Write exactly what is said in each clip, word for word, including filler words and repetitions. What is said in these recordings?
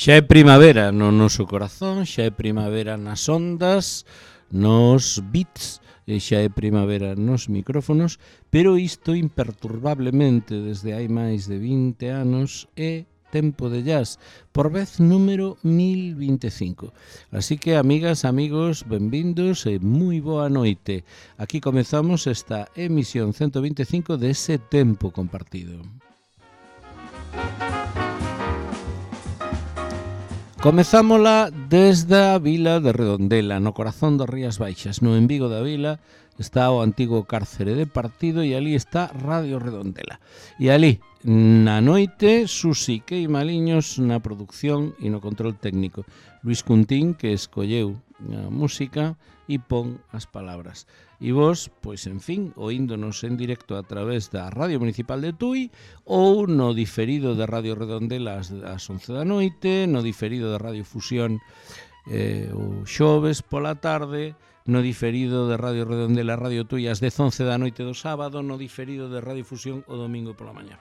Xa é primavera no noso corazón, xa é primavera nas ondas, nos bits, e xa é primavera nos micrófonos, pero isto imperturbablemente desde hai máis de vinte anos é Tempo de Jazz, por vez número mil vinte e cinco. Así que, amigas, amigos, benvindos e moi boa noite. Aquí comezamos esta emisión ciento vinte e cinco de ese tempo compartido. Comezámola desde a vila de Redondela, no corazón das Rías Baixas. No en Vigo da vila está o antigo cárcere de partido e ali está Radio Redondela. E ali, na noite, Susi Queimaliños na producción e no control técnico. Luis Cuntín, que escolleu a música e pon as palabras. E vos, pois, en fin, oíndonos en directo a través da Radio Municipal de Tui ou no diferido de Radio Redondela ás once da noite, no diferido de Radio Fusión eh, o xoves pola tarde, no diferido de Radio Redondela Radio Tui ás dez once da noite do sábado, no diferido de Radio Fusión o domingo pola mañá.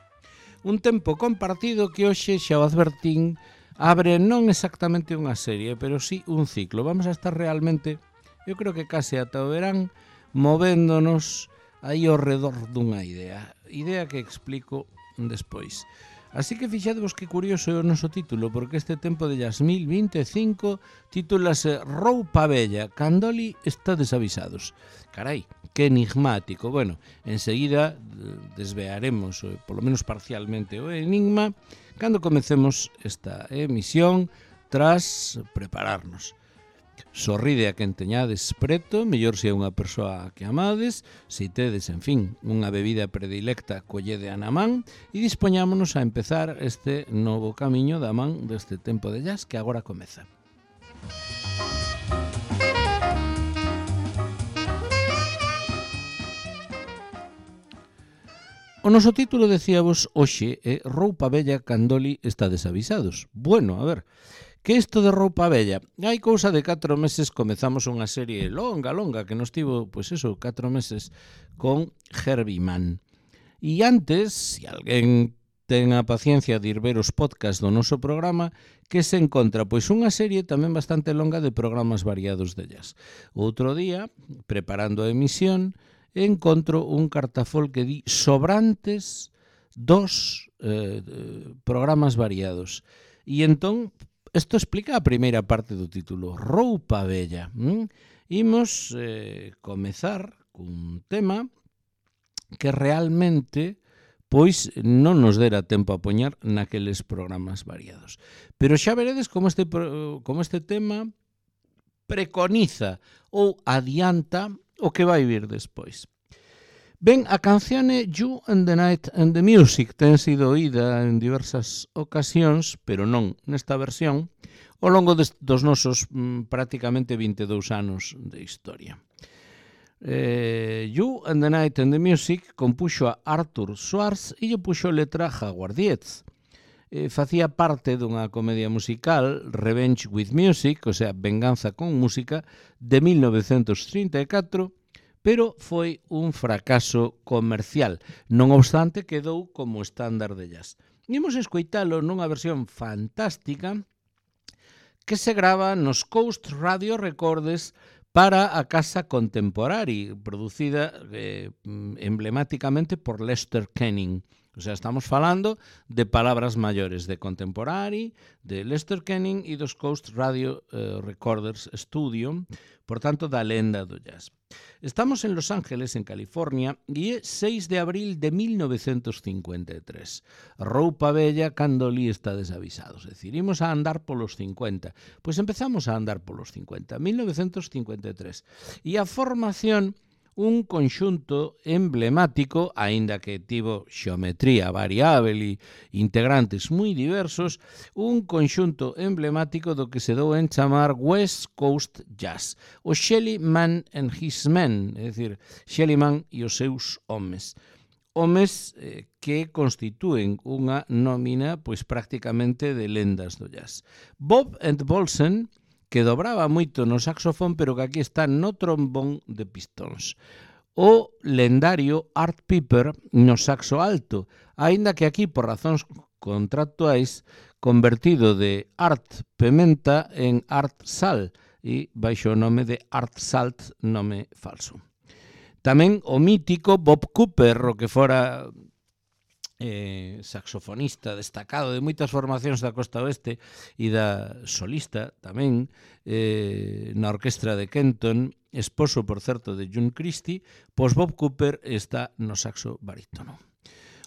Un tempo compartido que hoxe xa o advertín abre non exactamente unha serie, pero sí un ciclo. Vamos a estar realmente, eu creo que case ata o verán, movéndonos aí ao redor dunha idea. Idea que explico despois. Así que fixadevos que curioso é o noso título, porque este Tempo de Jazz mil vinte e cinco titúlase Roupa Vella, Candoli está desavisados. Carai, que enigmático. Bueno, enseguida desvearemos, polo menos parcialmente, o enigma cando comecemos esta emisión tras prepararnos. Sorride a quen teñades preto, mellor se é unha persoa que amades, se tedes, en fin, unha bebida predilecta, collede a na man e dispoñámonos a empezar este novo camiño da man deste Tempo de Jazz que agora comeza. O noso título, decíavos, hoxe é Roupa Vella, Candoli está desavisados. Bueno, a ver, que isto de roupa vella? Hai cousa de catro meses comezamos unha serie longa, longa, que nos tivo, pois eso, catro meses con Herbie Mann. E antes, se alguén ten a paciencia de ir ver os podcast do noso programa, que se encontra, pois, unha serie tamén bastante longa de programas variados de jazz. Outro día, preparando a emisión, encontro un cartafol que di sobrantes dos eh, programas variados. E entón, isto explica a primeira parte do título, Roupa Vella. ¿Mm? Imos eh, comezar cun tema que realmente pois non nos dera tempo a poñer naqueles programas variados. Pero xa veredes como este, como este tema preconiza ou adianta o que vai vir despois. Ben, a canción é You and the Night and the Music, ten sido oída en diversas ocasións, pero non nesta versión, ao longo des, dos nosos mm, prácticamente vinte e dous anos de historia. Eh, You and the Night and the Music compuxo a Arthur Schwartz e lle puxo letra Howard Dietz. Eh, facía parte dunha comedia musical, Revenge with Music, o sea, Venganza con Música, de mil novecentos trinta e catro, pero foi un fracaso comercial. Non obstante, quedou como estándar de jazz. Imos escoitalo nunha versión fantástica que se grava nos Coast Radio Records para a Casa Contemporary, producida eh, emblemáticamente por Lester Kenning. O sea, estamos falando de palabras maiores de Contemporary, de Lester Kenning e dos Coast Radio eh, Recorders Studio, por tanto, da lenda do jazz. Estamos en Los Ángeles, en California, e é seis de abril de mil novecentos cincuenta e tres. Roupa Vella, Candoli está desavisados. É dicir, imos a andar polos cincuenta. Pois empezamos a andar polos cincuenta. mil novecentos cincuenta e tres. E a formación, un conxunto emblemático, aínda que tivo xeometría variável e integrantes moi diversos, un conxunto emblemático do que se dou en chamar West Coast Jazz, o Shelly Manne and His Men, é dicir, Shelly Manne e os seus homes. Homes eh, que constitúen unha nómina pois prácticamente de lendas do jazz. Bob and Bolsen, que dobraba moito no saxofón, pero que aquí está no trombón de pistóns. o lendario Art Piper no saxo alto, aínda que aquí, por razóns contractuais, convertido de Art Pementa en Art Sal, e baixo o nome de Art Salt, nome falso. Tamén o mítico Bob Cooper, o que fora eh, saxofonista destacado de moitas formacións da Costa Oeste e da solista tamén eh, na orquestra de Kenton, esposo, por certo, de June Christie, pois Bob Cooper está no saxo barítono.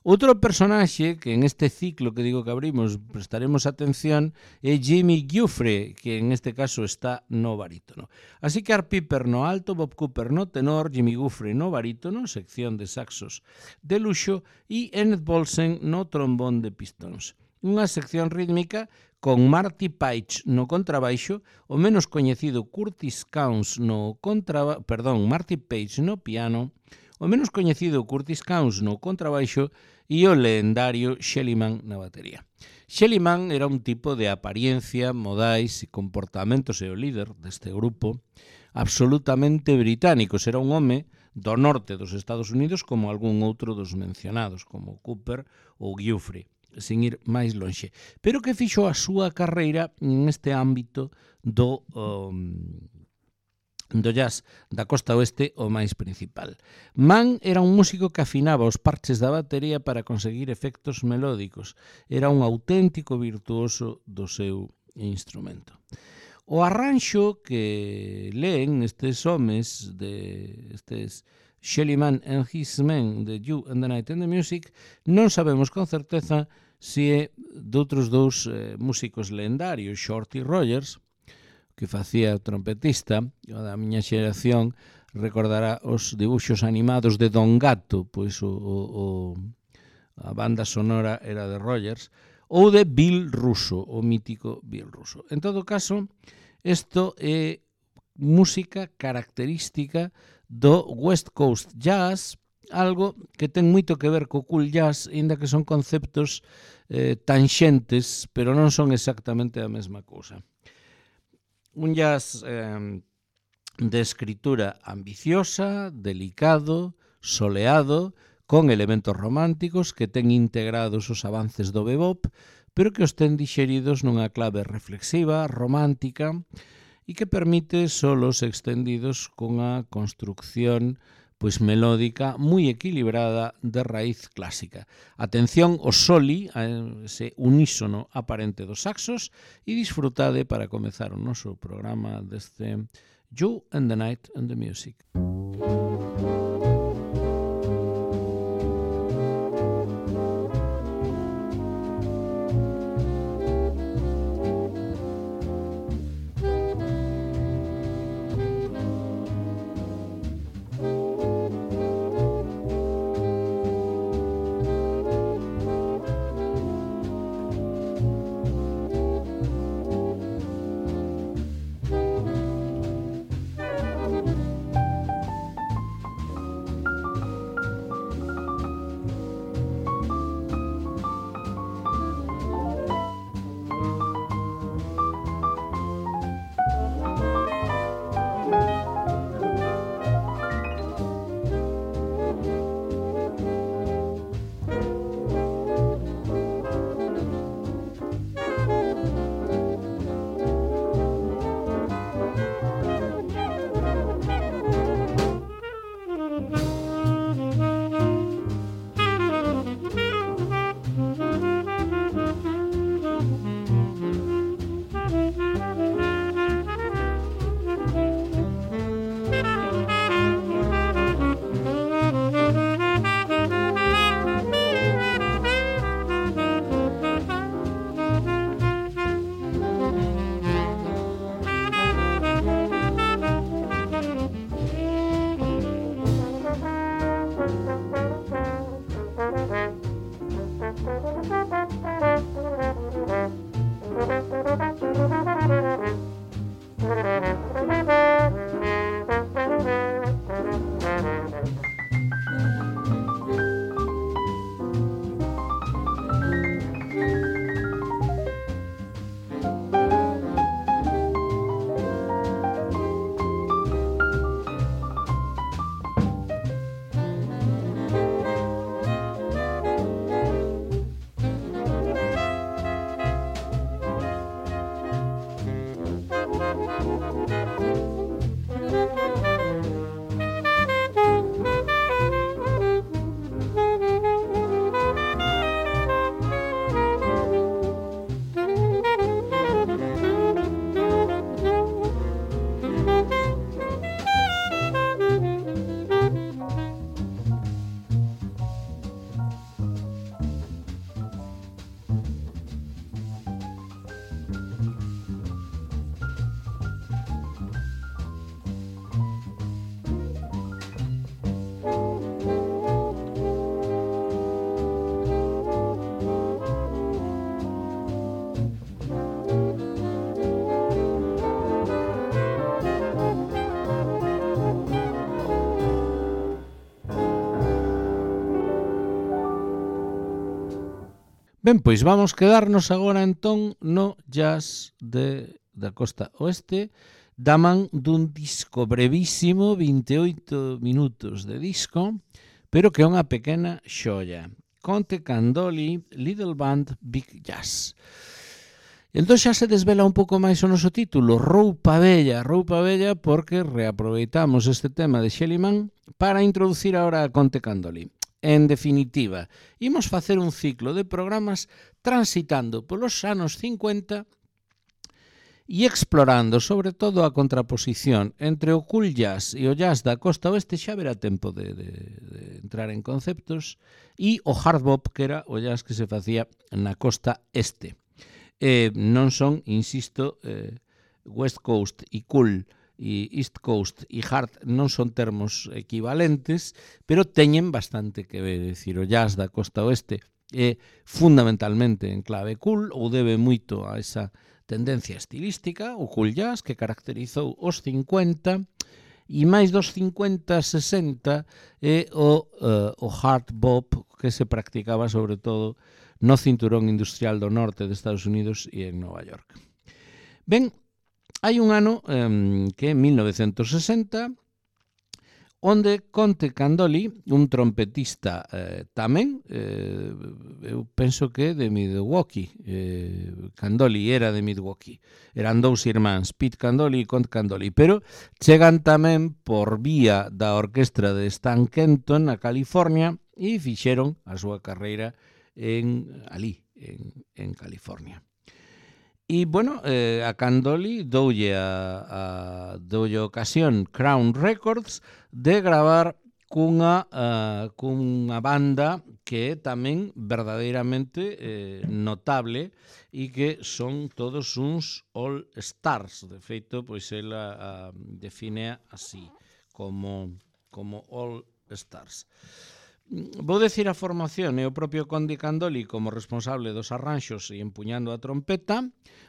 Outro personaxe que en este ciclo que digo que abrimos prestaremos atención é Jimmy Giuffre, que en este caso está no barítono. Así que Art Piper no alto, Bob Cooper no tenor, Jimmy Giuffre no barítono, sección de saxos de luxo, e Ennett Bolsen no trombón de pistóns. Unha sección rítmica con Marty Paich no contrabaixo, o menos coñecido Curtis Counce no contrabaixo, perdón, Marty Paich no piano, o menos coñecido Curtis Counce no contrabaixo e o lendario Shelly Manne na batería. Shelly Manne era un tipo de apariencia, modais e comportamentos e o líder deste grupo absolutamente británicos. Era un home do norte dos Estados Unidos como algún outro dos mencionados, como Cooper ou Giuffre, sin ir máis lonxe. Pero que fixo a súa carreira neste ámbito do... Um, do jazz da costa oeste o máis principal. Mann era un músico que afinaba os parches da batería para conseguir efectos melódicos. Era un auténtico virtuoso do seu instrumento. O arranxo que leen estes homes, de estes Shelly Manne and His Men, de You and the Night and the Music, non sabemos con certeza se é doutros dous eh, músicos lendarios, Shorty Rogers, que facía o trompetista, o da miña xeración recordará os dibuxos animados de Don Gato, pois o, o, o, a banda sonora era de Rogers, ou de Bill Russo, o mítico Bill Russo. En todo caso, isto é música característica do West Coast Jazz, algo que ten moito que ver co cool jazz, ainda que son conceptos eh, tanxentes, pero non son exactamente a mesma cousa. Un jazz eh, de escritura ambiciosa, delicado, soleado, con elementos románticos que ten integrados os avances do bebop, pero que os ten dixeridos nunha clave reflexiva, romántica, e que permite solos extendidos cunha construcción pois melódica moi equilibrada de raíz clásica. Atención ao soli, a ese unísono aparente dos saxos, e disfrutade para comezar o noso programa deste You and the Night and the Music. Ben, pois vamos quedarnos agora entón no jazz de, da costa oeste, da man dun disco brevísimo, vinte e oito minutos de disco, pero que é unha pequena xoia. Conte Candoli, Little Band, Big Jazz. Entón xa se desvela un pouco máis o noso título, Roupa Bella, Roupa Bella, porque reaproveitamos este tema de Schelliman para introducir agora a Conte Candoli. En definitiva, imos facer un ciclo de programas transitando polos anos cincuenta e explorando sobre todo a contraposición entre o cool jazz e o jazz da costa oeste, xa verá tempo de, de, de entrar en conceptos, e o hard bop, que era o jazz que se facía na costa este. Eh, non son, insisto, eh, West Coast e cool e East Coast e hard non son termos equivalentes, pero teñen bastante que ver. É dicir, o jazz da costa oeste é fundamentalmente en clave cool, ou debe moito a esa tendencia estilística, o cool jazz, que caracterizou os cincuenta, e máis dos cincuenta, sesenta é o, uh, o hard bop, que se practicaba sobre todo no cinturón industrial do norte de Estados Unidos e en Nova York. Ben, hai un ano um, que é mil novecentos sesenta, onde Conte Candoli, un trompetista eh, tamén, eh, eu penso que de Milwaukee, eh, Candoli era de Milwaukee, eran dous irmáns, Pete Candoli e Conte Candoli, pero chegan tamén por vía da orquestra de Stan Kenton na California e fixeron a súa carreira en ali, en, en California. E, bueno, eh, a Candoli doulle a, a doulle ocasión Crown Records de gravar cunha, uh, cunha banda que é tamén verdadeiramente eh, notable e que son todos uns all stars. De feito, pois ela uh, define así, como, como all stars. Vou decir a formación e o propio Conte Candoli como responsable dos arranxos e empuñando a trompeta,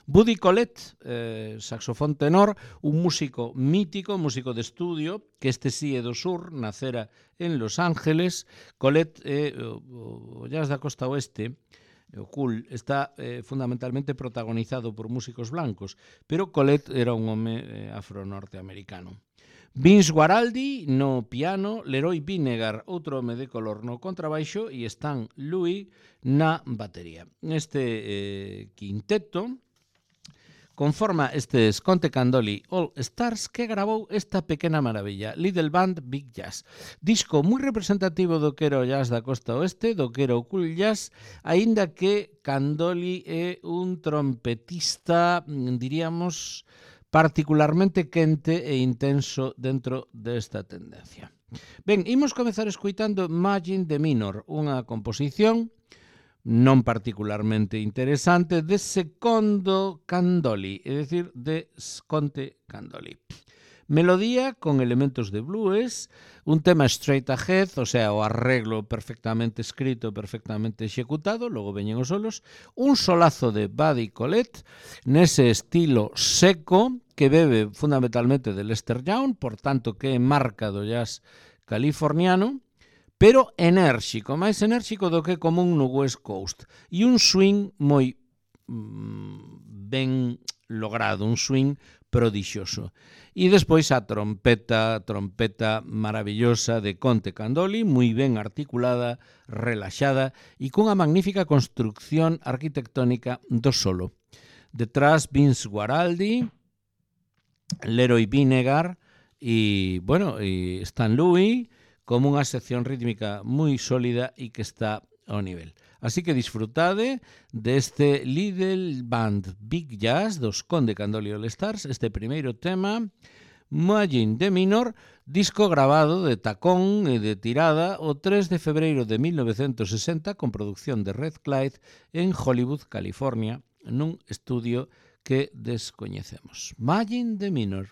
Buddy Collette, eh, saxofón tenor, un músico mítico, músico de estudio, que este sí é do sur, nacera en Los Ángeles. Collette é o, o jazz da costa oeste, o cool, está eh, fundamentalmente protagonizado por músicos blancos, pero Collette era un home eh, afro-norteamericano. Vince Guaraldi no piano, Leroy Vinegar, outro home de color no contrabaixo, e Stan Louis na batería. Este eh, quinteto conforma estes Conte Candoli All Stars, que gravou esta pequena maravilla, Little Band Big Jazz. Disco moi representativo do que era o jazz da costa oeste, do que era o cool jazz, aínda que Candoli é un trompetista, diríamos, particularmente quente e intenso dentro desta tendencia. Ben, imos comezar escuitando Imagine the Minor, unha composición non particularmente interesante de Secondo Candoli, é dicir, de Conte Candoli. Melodía con elementos de blues, un tema straight ahead, o sea, o arreglo perfectamente escrito, perfectamente executado, logo veñen os solos, un solazo de Buddy Collette, nese estilo seco, que bebe fundamentalmente de Lester Young, por tanto que é marca do jazz californiano, pero enérxico, máis enérxico do que común no West Coast, e un swing moi mm, ben logrado, un swing prodixioso. E despois a trompeta, trompeta maravillosa de Conte Candoli, moi ben articulada, relaxada e cunha magnífica construcción arquitectónica do solo. Detrás Vince Guaraldi, Leroy Vinegar e, bueno, e Stan Louis, como unha sección rítmica moi sólida e que está ao nivel. Así que disfrutade deste Little Band Big Jazz dos Conte Candoli All Stars, este primeiro tema, Imagine the Minor, disco grabado de tacón e de tirada o tres de febreiro de mil novecentos sesenta con producción de Red Clyde en Hollywood, California, nun estudio que descoñecemos. Imagine the Minor.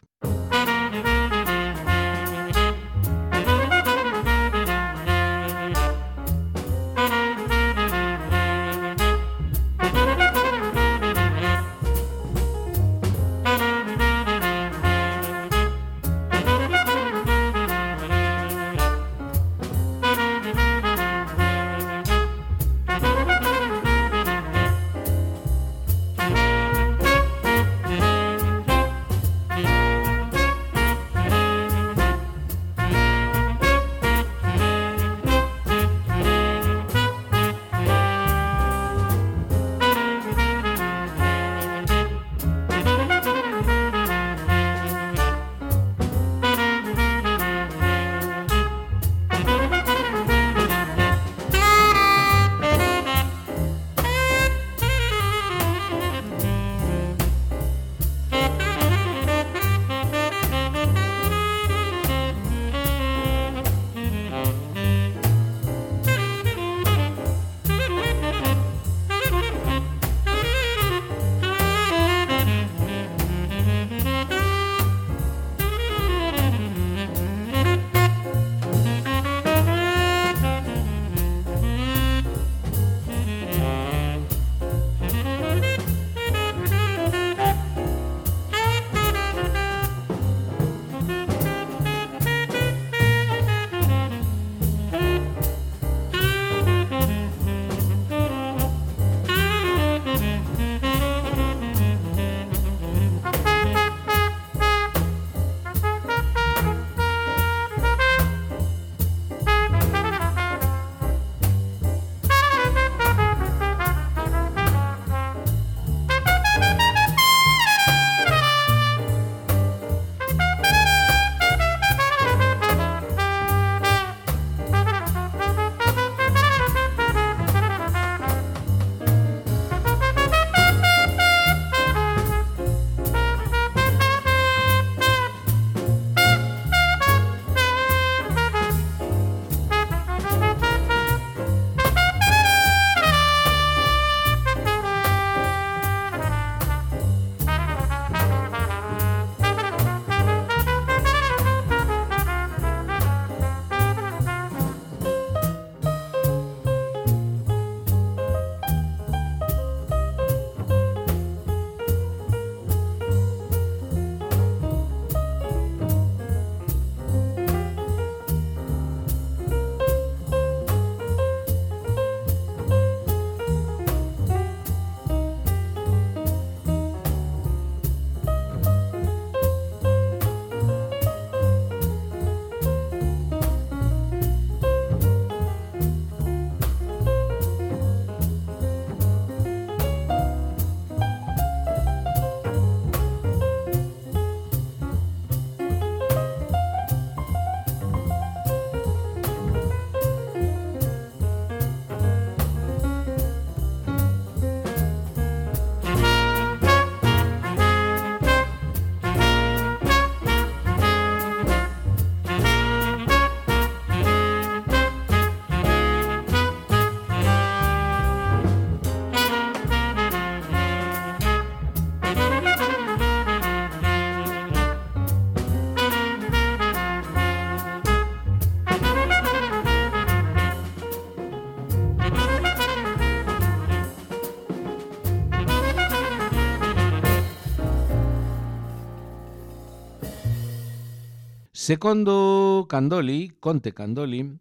Secondo Candoli, Conte Candoli,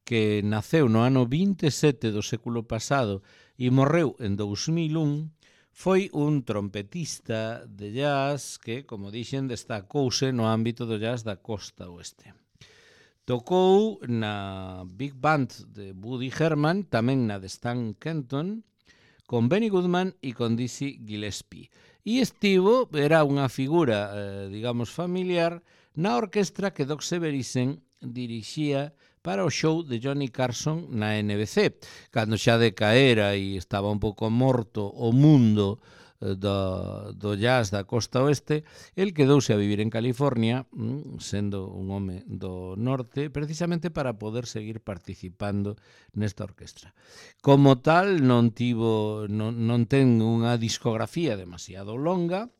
que naceu no ano vinte e sete do século pasado e morreu en dous mil un, foi un trompetista de jazz que, como dixen, destacouse no ámbito do jazz da costa oeste. Tocou na Big Band de Woody Herman, tamén na de Stan Kenton, con Benny Goodman e con Dizzy Gillespie. E estivo, era unha figura, eh, digamos, familiar, na orquestra que Doc Severissen dirixía para o show de Johnny Carson na N B C. Cando xa decaera e estaba un pouco morto o mundo do, do jazz da costa oeste, el quedouse a vivir en California, sendo un home do norte, precisamente para poder seguir participando nesta orquestra. Como tal, non tivo, non, non ten unha discografía demasiado longa,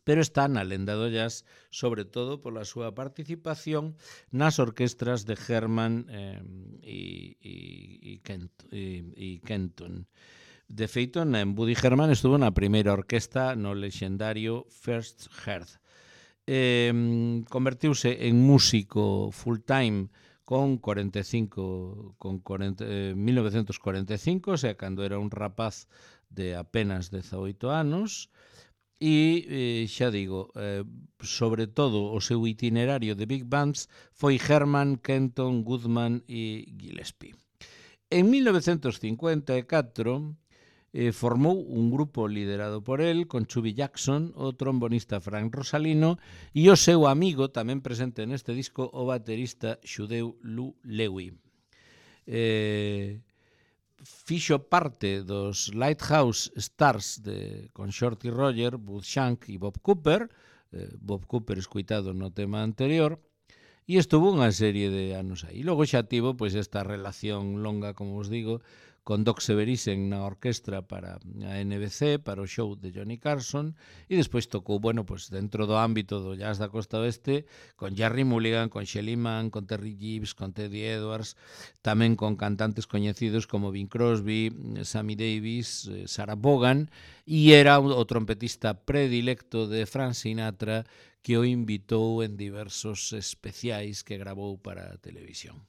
pero está na lenda do jazz, sobre todo pola súa participación nas orquestras de Herman eh, e, e, e, Kent, e, e Kenton. De feito, en Woody Herman estuvo na primeira orquesta no lexendario First Heard. Eh, convertiuse en músico full-time con cuarenta e cinco, con cuarenta, eh, mil novecentos cuarenta e cinco, o sea, cando era un rapaz de apenas dezaoito anos, e, eh, xa digo, eh, sobre todo o seu itinerario de big bands foi Herman, Kenton, Goodman e Gillespie. En mil novecentos cincuenta e catro eh, formou un grupo liderado por el, con Chubby Jackson, o trombonista Frank Rosalino e o seu amigo, tamén presente neste disco, o baterista xudeu Lou Lewy. Eh, fixo parte dos Lighthouse Stars de, con Shorty Roger, Bud Shank e Bob Cooper, eh, Bob Cooper escuitado no tema anterior, e estuvo unha serie de anos aí. Logo xa tivo pois, esta relación longa, como os digo, con Doc Severissen na orquestra para a N B C, para o show de Johnny Carson, e despois tocou, bueno, pues dentro do ámbito do jazz da costa oeste, con Jerry Mulligan, con Shelly Manne, con Terry Gibbs, con Teddy Edwards, tamén con cantantes coñecidos como Bing Crosby, Sammy Davis, Sarah Vaughan, e era o trompetista predilecto de Frank Sinatra, que o invitou en diversos especiais que gravou para a televisión.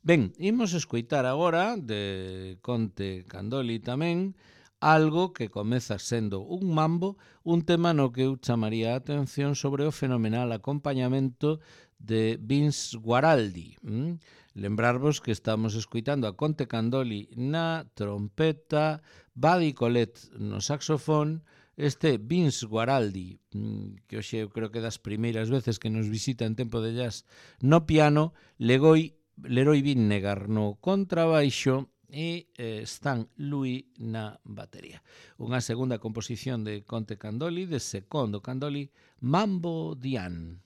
Ben, imos escoitar agora, de Conte Candoli tamén, algo que comeza sendo un mambo, un tema no que eu chamaría a atención sobre o fenomenal acompañamento de Vince Guaraldi. Mm? Lembrarvos que estamos escoitando a Conte Candoli na trompeta, Buddy Collette no saxofón, este Vince Guaraldi, que hoxe eu creo que das primeiras veces que nos visita en Tempo de Jazz, no piano, Legoi Leroy Vinnegar no contrabaixo e eh, Stan Louis na batería. Unha segunda composición de Conte Candoli, de Secondo Candoli, Mambo Dian.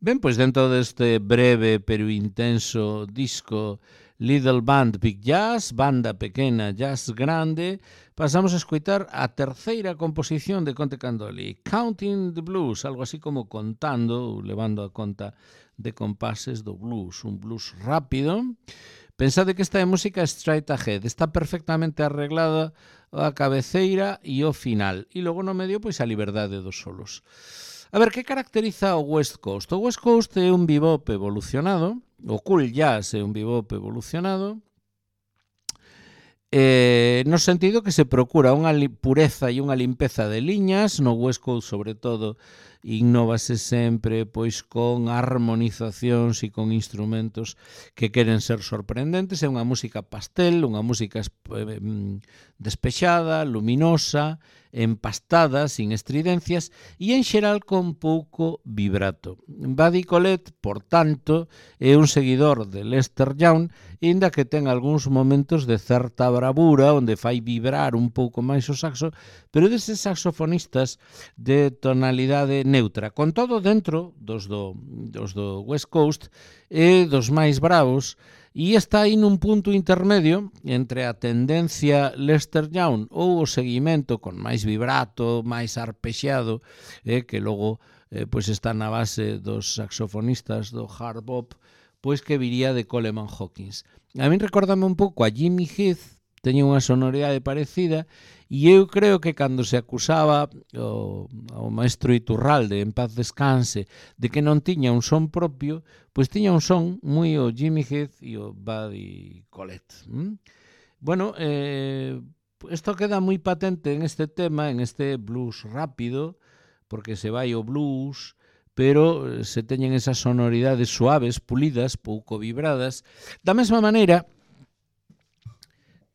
Ben, pois dentro deste breve pero intenso disco Little Band Big Jazz, banda pequena jazz grande, pasamos a escoitar a terceira composición de Conte Candoli, Counting the Blues, algo así como contando, levando a conta de compases do blues, un blues rápido. Pensade que esta é música straight ahead, está perfectamente arreglada a cabeceira e o final, e logo no medio pois a liberdade dos solos. A ver, que caracteriza o West Coast? O West Coast é un bebop evolucionado, o cool jazz é un bebop evolucionado, eh, no sentido que se procura unha pureza e unha limpeza de liñas, no West Coast sobre todo innovase sempre pois con armonizacións e con instrumentos que queren ser sorprendentes, é unha música pastel, unha música eh, despexada, luminosa, empastada, sin estridencias e en xeral con pouco vibrato. Buddy Collette, por tanto, é un seguidor de Lester Young, inda que ten algúns momentos de certa bravura onde fai vibrar un pouco máis o saxo, pero deses saxofonistas de tonalidade neutra, con todo dentro dos do, dos do West Coast e dos máis bravos, e está aí nun punto intermedio entre a tendencia Lester Young ou o seguimento con máis vibrato, máis arpexeado, eh, que logo eh, pois está na base dos saxofonistas do hard bop, pois que viría de Coleman Hawkins. A min recórdame un pouco a Jimmy Heath, teña unha sonoridade parecida, e eu creo que cando se acusaba o, o maestro Iturralde, en paz descanse, de que non tiña un son propio, pois tiña un son moi o Jimmy Heath e o Buddy Collette. ¿Mm? Bueno, eh, isto queda moi patente en este tema, en este blues rápido, porque se vai o blues, pero se teñen esas sonoridades suaves, pulidas, pouco vibradas. Da mesma maneira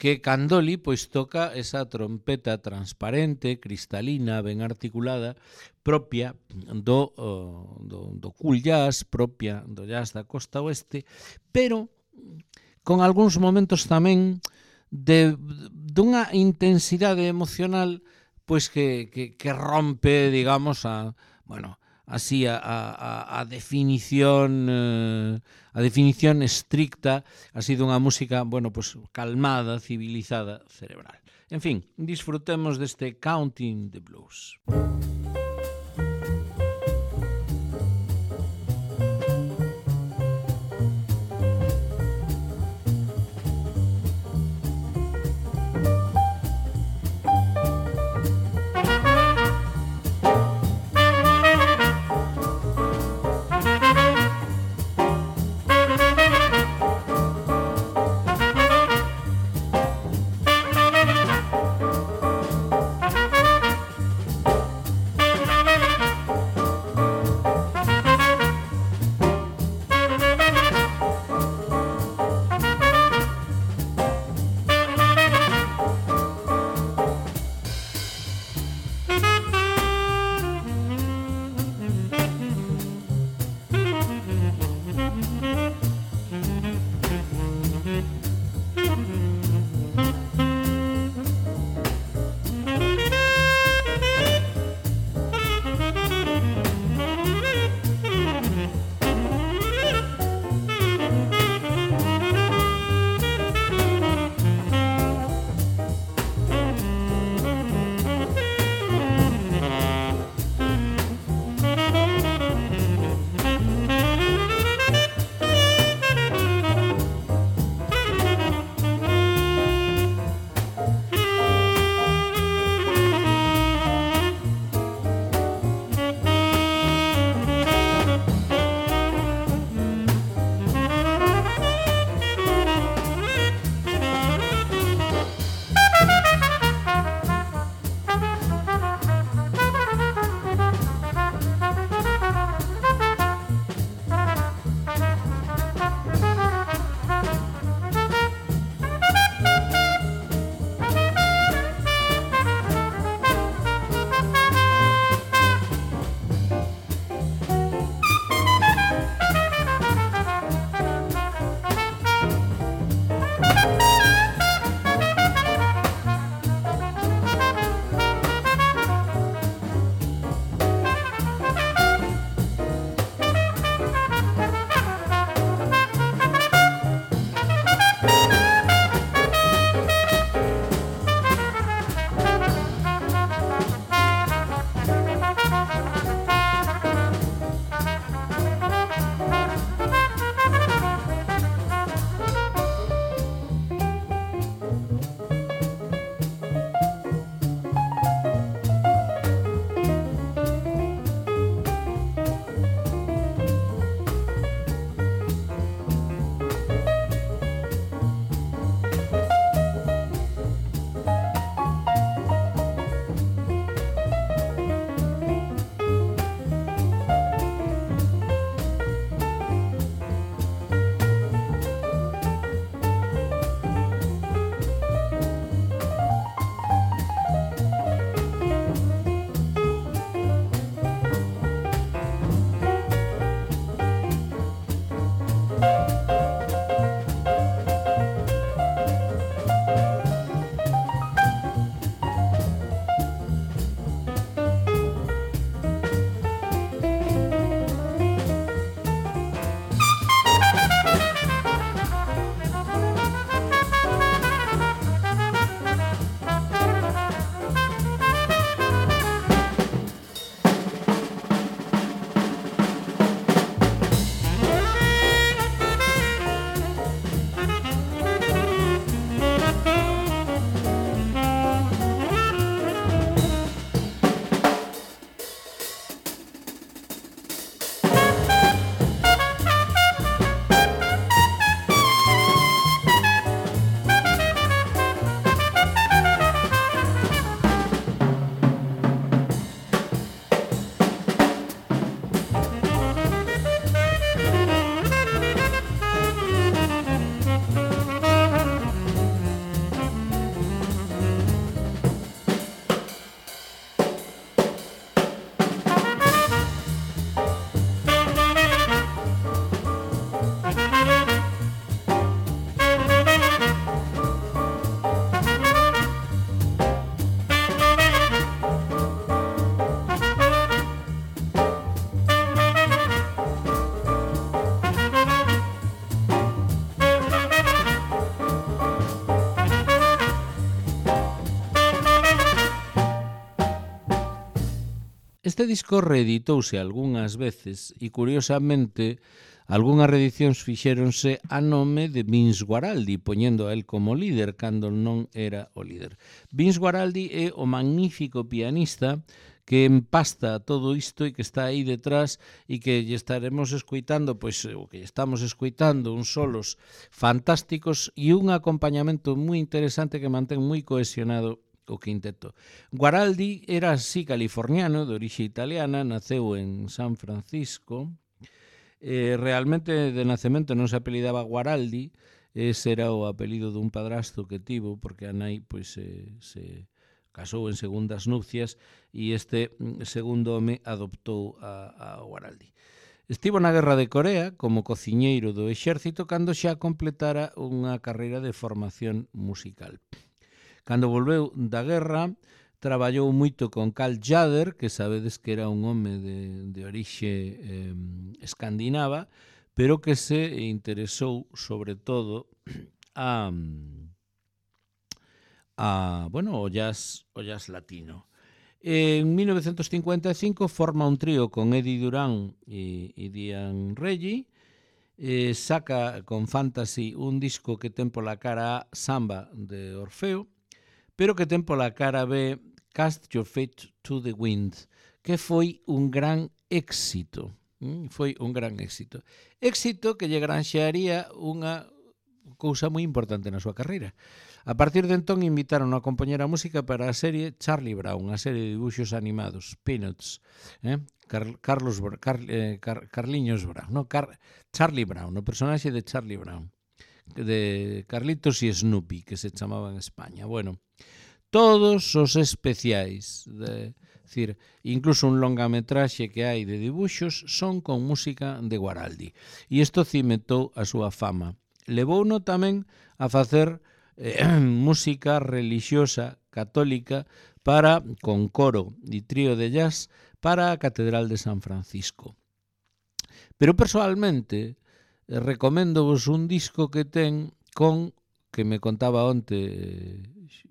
que Candoli pois toca esa trompeta transparente, cristalina, ben articulada, propia do, uh, do, do cool jazz, propia do jazz da costa oeste, pero con algúns momentos tamén de dunha intensidade emocional pois que, que, que rompe, digamos, a, bueno, así a, a, a definición eh, a definición estricta así dunha música, bueno, pues calmada, civilizada, cerebral. En fin, disfrutemos deste Counting the Blues. Este disco reeditouse algunhas veces e, curiosamente, algunhas reedicións fixéronse a nome de Vince Guaraldi, poñendo a él como líder cando non era o líder. Vince Guaraldi é o magnífico pianista que empasta todo isto e que está aí detrás e que lle estaremos escoitando, pois o que estamos escoitando, uns solos fantásticos e un acompañamento moi interesante que mantén moi cohesionado o quinteto. Guaraldi era así californiano, de orixe italiana, naceu en San Francisco. Eh, realmente de nacemento non se apelidaba Guaraldi, ese era o apelido dun padrasto que tivo, porque a nai pois, eh, se casou en segundas nupcias e este segundo home adoptou a, a Guaraldi. Estivo na Guerra de Corea como cociñeiro do exército cando xa completara unha carreira de formación musical. Cando volveu da guerra, traballou moito con Carl Jader, que sabedes que era un home de, de orixe eh, escandinava, pero que se interesou sobre todo a, a bueno, o jazz, o jazz latino. En mil novecientos cincuenta e cinco forma un trío con Eddie Durán e, e Diane Reggie, eh, saca con Fantasy un disco que ten pola cara A Samba de Orfeo, pero que ten pola cara B Cast Your Fate to the Wind, que foi un gran éxito. Mm, foi un gran éxito. Éxito que lle granxearía unha cousa moi importante na súa carreira. A partir de entón invitaron a compoñer a música para a serie Charlie Brown, a serie de dibuixos animados, Peanuts, eh? Car Carlos Car eh, Car Carliños Brown, no? Car Charlie Brown, o personaxe de Charlie Brown, de Carlitos e Snoopy, que se chamaba en España. Bueno, todos os especiais, de, decir, incluso un longametraxe que hai de dibuixos, son con música de Guaraldi. E isto cimentou a súa fama. Levouno tamén a facer eh, música relixiosa católica para con coro e trío de jazz para a Catedral de San Francisco. Pero persoalmente eh, recomendovos un disco que ten con, que me contaba onte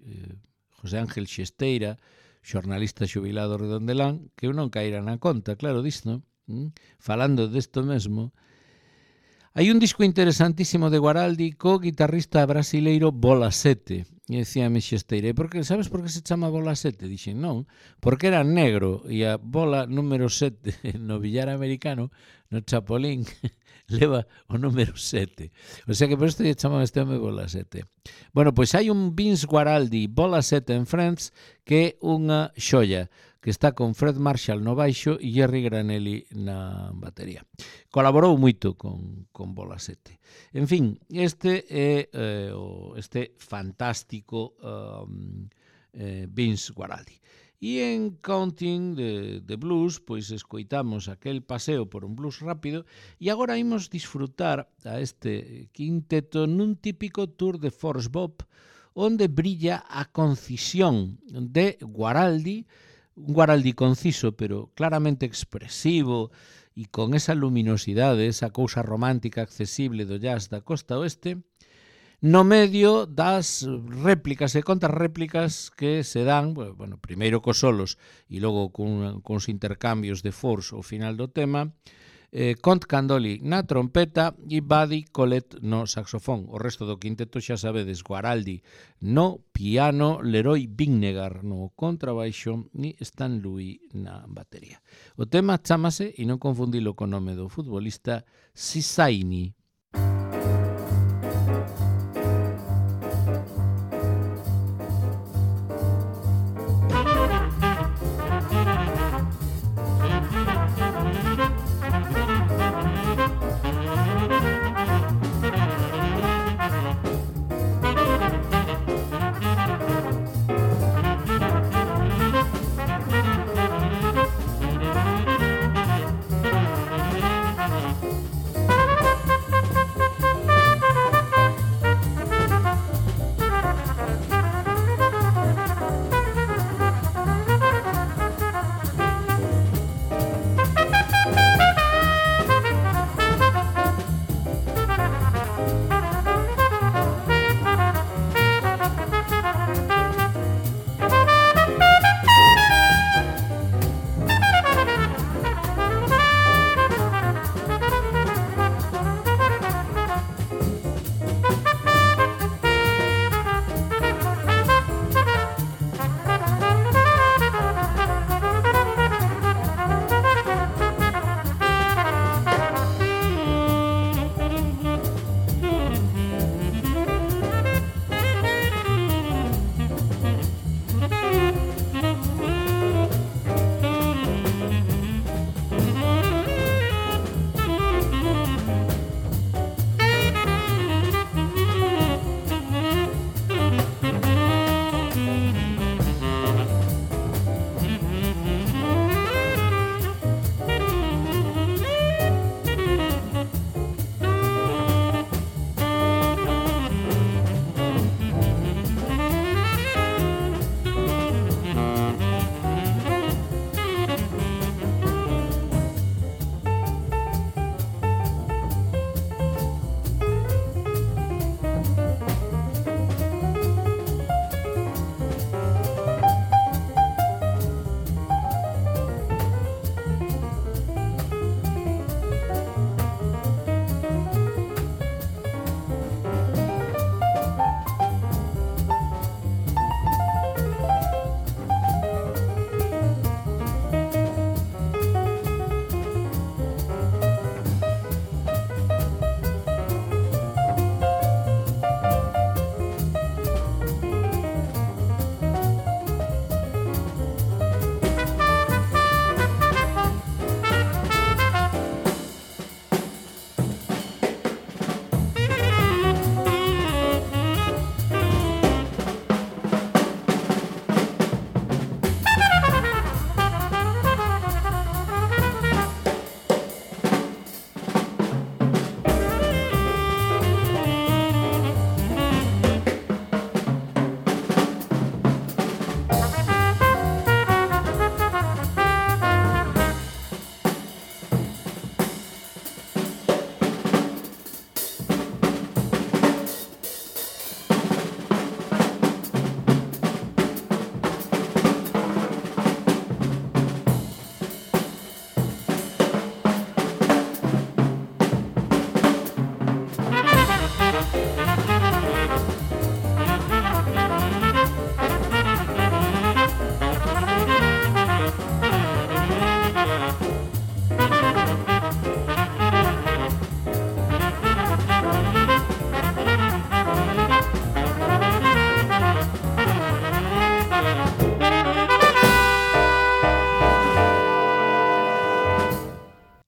eh, José Ángel Xesteira, xornalista xubilado redondelán, que eu non caíra na conta, claro, disto, ¿Mm? Falando desto mesmo. Hai un disco interesantísimo de Guaraldi co guitarrista brasileiro Bola sete. E decíame Xesteira, por que, sabes por que se chama Bola sete? Dixen, non, porque era negro e a bola número sete no billar americano, no Chapolín, leva o número sete. O sea que por isto lle chaman este home Bola sete. Bueno, pois hai un Vince Guaraldi Bola sete en Friends que é unha xoia, que está con Fred Marshall no baixo e Jerry Granelli na batería. Colaborou moito con, con Bola sete. En fin, este é eh, este fantástico um, eh, Vince Guaraldi. E en Counting the, the Blues, pois escoitamos aquel paseo por un blues rápido e agora imos disfrutar a este quinteto nun típico tour de Force Bob onde brilla a concisión de Guaraldi, un Guaraldi conciso, pero claramente expresivo e con esa luminosidade, esa cousa romántica accesible do jazz da costa oeste, no medio das réplicas e contrarréplicas que se dan, bueno, primeiro cos solos e logo con, con os intercambios de force ao final do tema, eh, Count Candoli na trompeta e Buddy Collette no saxofón. O resto do quinteto xa sabedes, Guaraldi no piano, Leroy Vinnegar no contrabaixo e Stan Louis na batería. O tema chámase, e non confundilo co nome do futbolista, Sisaini.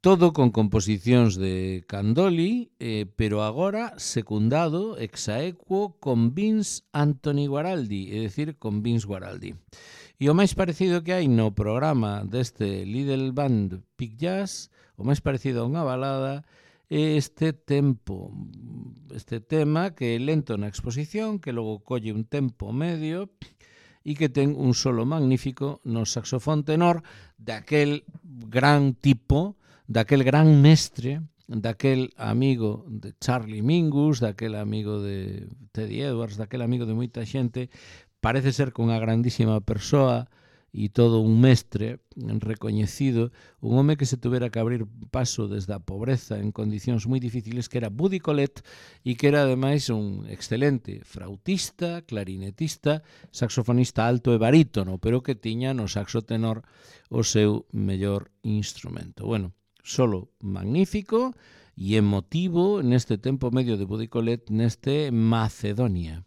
todo con composicións de Candoli, eh, pero agora secundado ex aequo con Vince Anthony Guaraldi, é dicir, con Vince Guaraldi. E o máis parecido que hai no programa deste Little Band Big Jazz, o máis parecido a unha balada, é este tempo, este tema que é lento na exposición, que logo colle un tempo medio e que ten un solo magnífico no saxofón tenor daquel gran tipo, daquel gran mestre, daquel amigo de Charlie Mingus, daquel amigo de Teddy Edwards, daquel amigo de moita xente, parece ser que unha grandísima persoa e todo un mestre recoñecido, un home que se tuvera que abrir paso desde a pobreza en condicións moi difíciles, que era Buddy Collette e que era ademais un excelente flautista, clarinetista, saxofonista alto e barítono, pero que tiña no saxo tenor o seu mellor instrumento. Bueno, solo magnífico e emotivo neste tempo medio de Buddy Collette neste Macedonia.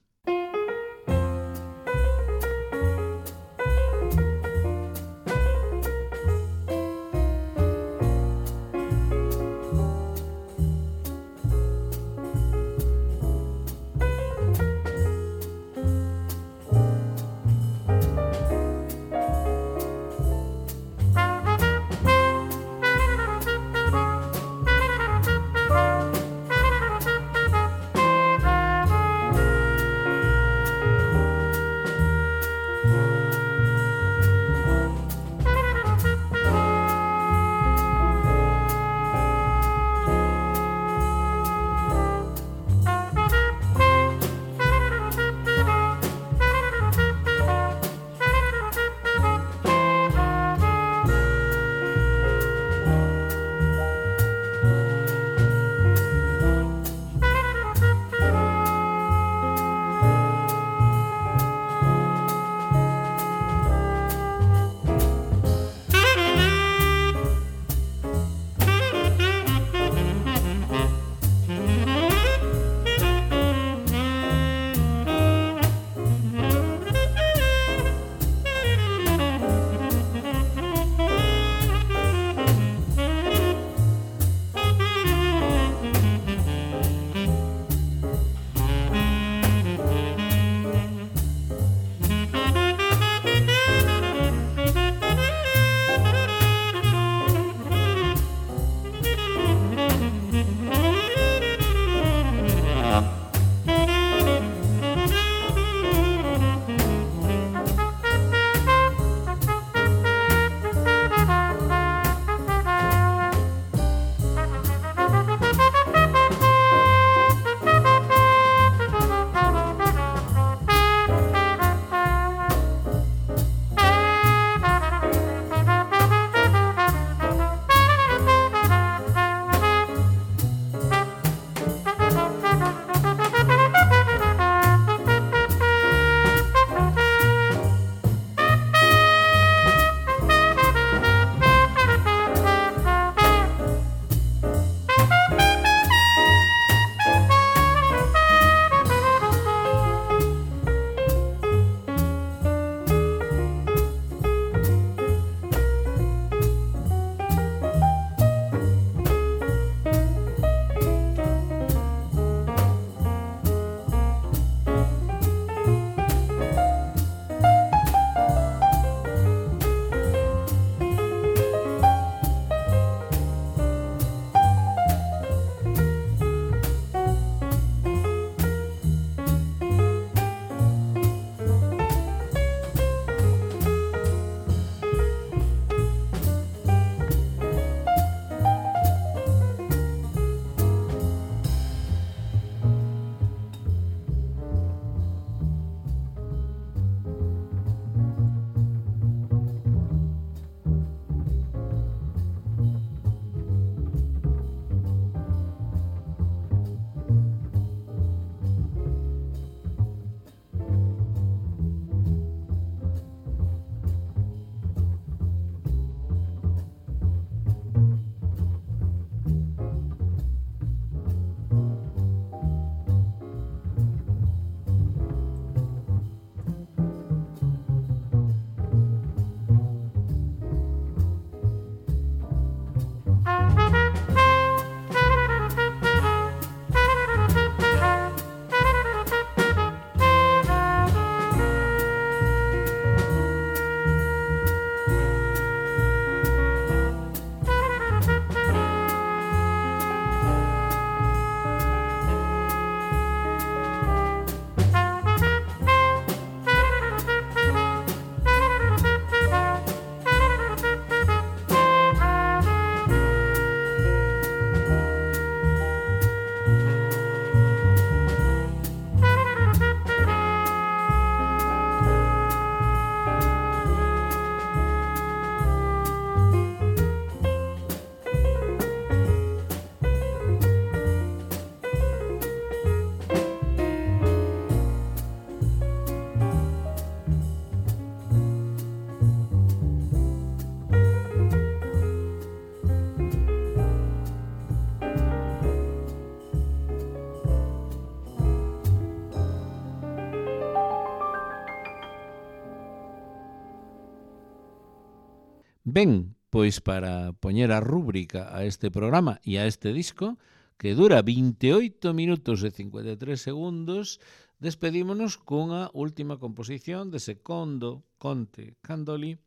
Ben, pois para poñer a rúbrica a este programa e a este disco, que dura veintioito minutos e cincuenta e tres segundos, despedímonos cunha última composición de Secondo Conte Candoli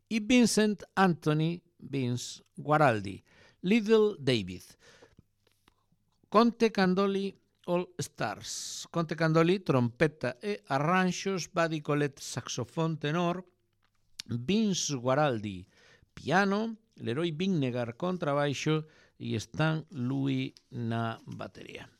e Vincent Anthony Vince Guaraldi, Little David. Conte Candoli All Stars. Conte Candoli, trompeta e arranxos, Buddy Collette, saxofón tenor, Vince Guaraldi, piano, Leroy Vinnegar, contrabaixo e Stan Louis na batería.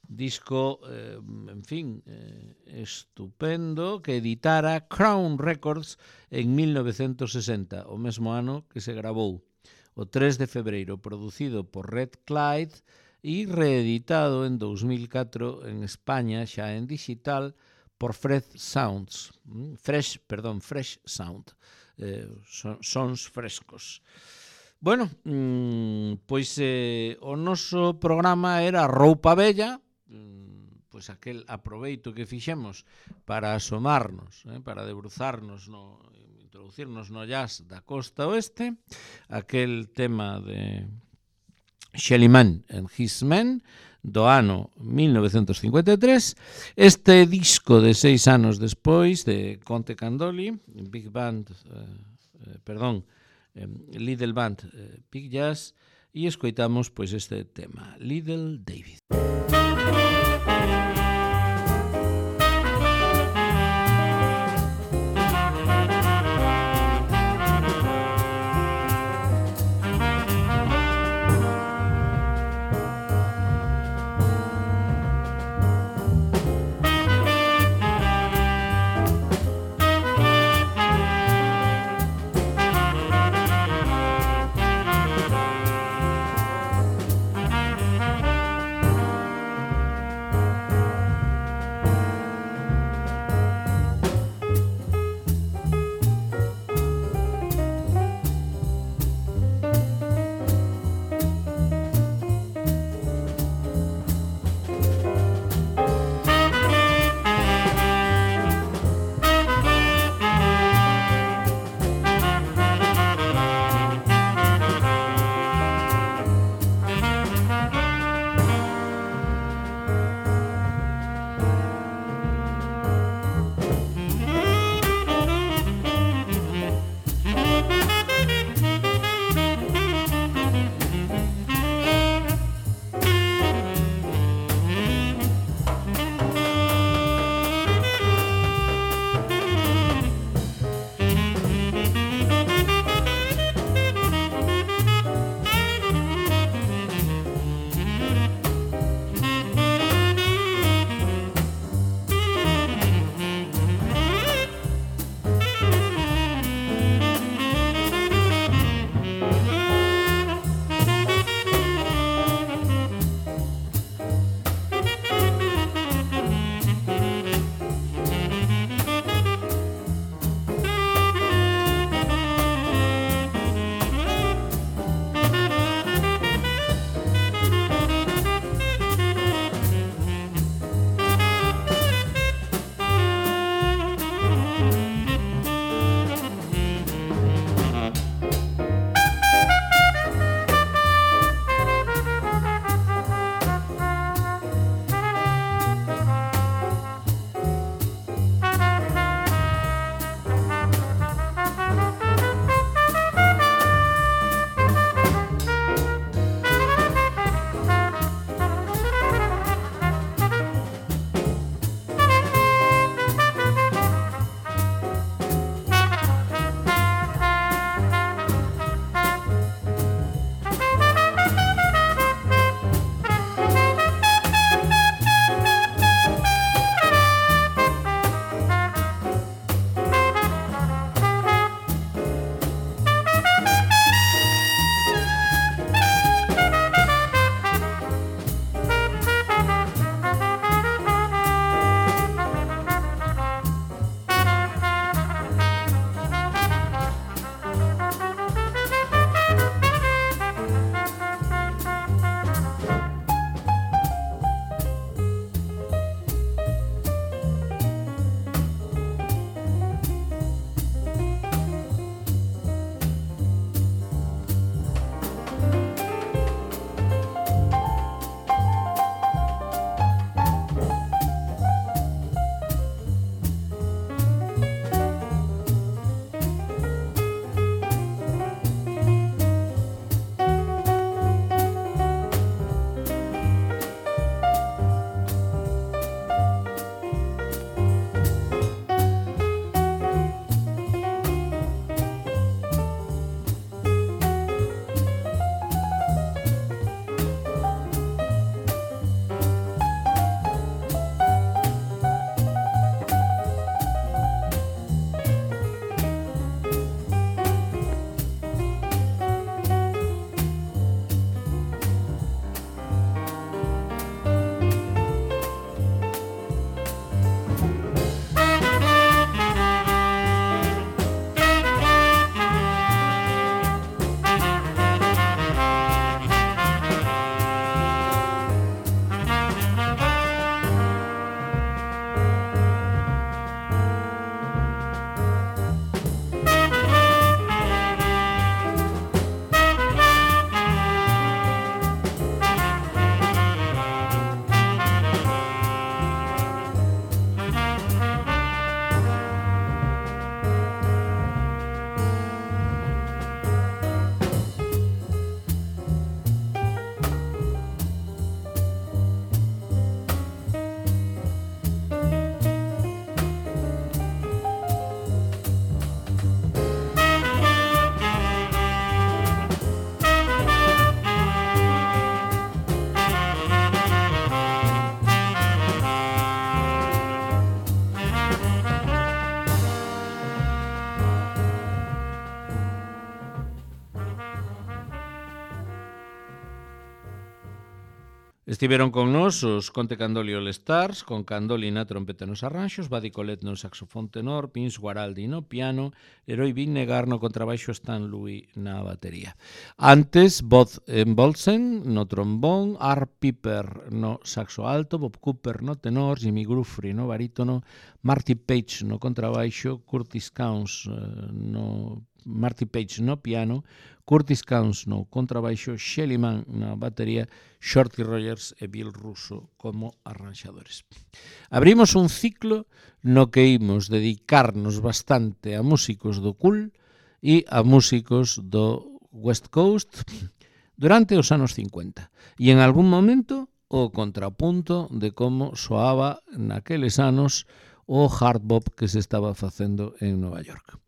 Disco, eh, en fin, eh, estupendo, que editara Crown Records en mil novecentos sesenta, o mesmo ano que se grabou, o tres de febreiro, producido por Red Clyde e reeditado en dous mil catro en España, xa en digital, por Fresh Sounds, Fresh, perdón, Fresh Sound, eh, son, sons frescos. Bueno, mmm, pois eh, o noso programa era Roupa Vella, mmm, pois aquel aproveito que fixemos para asomarnos, eh, para debruzarnos, no, introducirnos no jazz da costa oeste, aquel tema de Shelly Manne and His Men, do ano mil novecentos cincuenta e tres, este disco de seis anos despois de Conte Candoli, Big Band, eh, eh, perdón, eh, Little Band, eh, Big Jazz, e escoitamos pois este tema, Little David. Estiveron con nós os Conte Candoli All Stars, con Candoli na trompeta nos arranxos, Badi Colet no saxofón tenor, Pins Guaraldi no piano, Heroi Vinegar no contrabaixo, Stan Louis na batería. Antes, Bob Bolsen no trombón, Art Piper no saxo alto, Bob Cooper no tenor, Jimmy Guthrie no barítono, Marty Page no contrabaixo, Curtis Counts no Marty Page no piano, Curtis Counts no contrabaixo, Shelly Mann na batería, Shorty Rogers e Bill Russo como arranxadores. Abrimos un ciclo no que imos dedicarnos bastante a músicos do cool e a músicos do West Coast durante os anos cincuenta. E en algún momento o contrapunto de como soaba naqueles anos o hard bop que se estaba facendo en Nova York.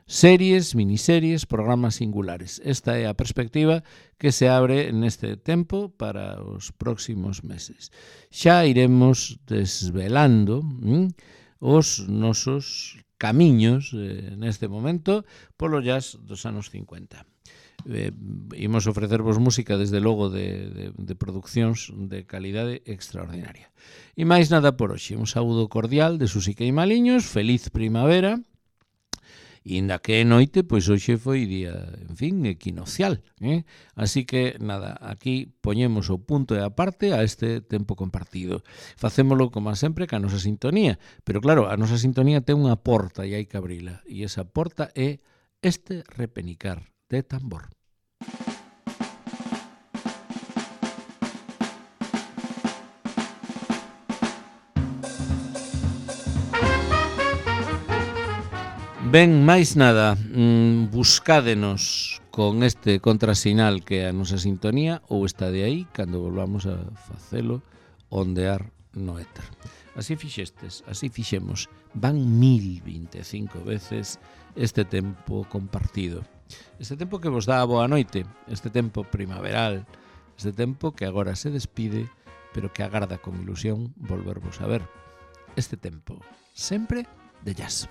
Series, miniseries, programas singulares. Esta é a perspectiva que se abre neste tempo para os próximos meses. Xa iremos desvelando hm, os nosos camiños eh, neste momento polo jazz dos anos cincuenta. Eh, imos ofrecervos música desde logo de, de, de produccións de calidade extraordinaria. E máis nada por hoxe. Un saúdo cordial de Susi Queimaliños, feliz primavera. E inda que é noite, pois hoxe foi día, en fin, equinocial, eh? Así que, nada, aquí poñemos o punto e a parte a este tempo compartido. Facémolo, como sempre, ca nosa sintonía, pero claro, a nosa sintonía ten unha porta e hai que abrila, e esa porta é este repenicar de tambor. Ben, máis nada, mmm, buscádenos con este contrasinal que é a nosa sintonía ou está de aí cando volvamos a facelo ondear no éter. Así fixestes, así fixemos, van mil vinte e cinco veces este tempo compartido. Este tempo que vos dá a boa noite, este tempo primaveral, este tempo que agora se despide, pero que agarda con ilusión volvervos a ver. Este tempo, sempre de jazz.